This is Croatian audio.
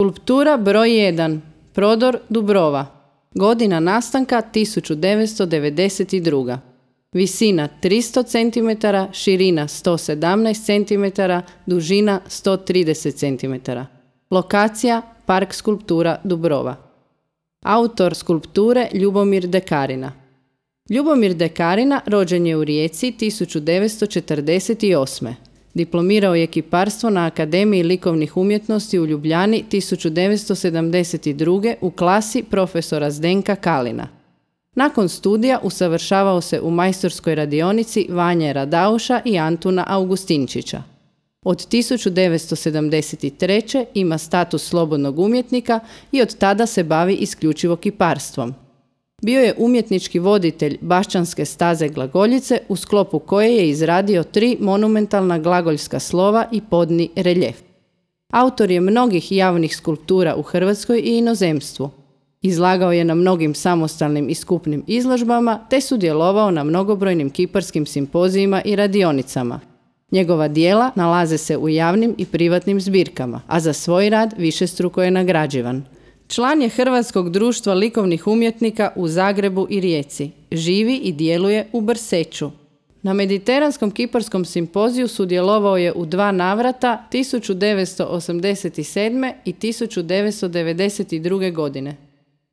Skulptura broj 1. Prodor Dubrova. Godina nastanka 1992. Visina 300 cm, širina 117 cm, dužina 130 cm. Lokacija Park skulptura Dubrova. Autor skulpture Ljubomir Dekarina. Ljubomir Dekarina rođen je u Rijeci 1948. Diplomirao je kiparstvo na Akademiji likovnih umjetnosti u Ljubljani 1972. u klasi profesora Zdenka Kalina. Nakon studija usavršavao se u majstorskoj radionici Vanje Radauša i Antuna Augustinčića. Od 1973. ima status slobodnog umjetnika i od tada se bavi isključivo kiparstvom. Bio je umjetnički voditelj Bašćanske staze glagoljice u sklopu koje je izradio 3 monumentalna glagoljska slova i podni reljef. Autor je mnogih javnih skulptura u Hrvatskoj i inozemstvu. Izlagao je na mnogim samostalnim i skupnim izložbama te sudjelovao na mnogobrojnim kiparskim simpozijima i radionicama. Njegova djela nalaze se u javnim i privatnim zbirkama, a za svoj rad višestruko je nagrađivan. Član je Hrvatskog društva likovnih umjetnika u Zagrebu i Rijeci. Živi i djeluje u Brseču. Na Mediteranskom kiparskom simpoziju sudjelovao je u 2 navrata 1987. i 1992. godine.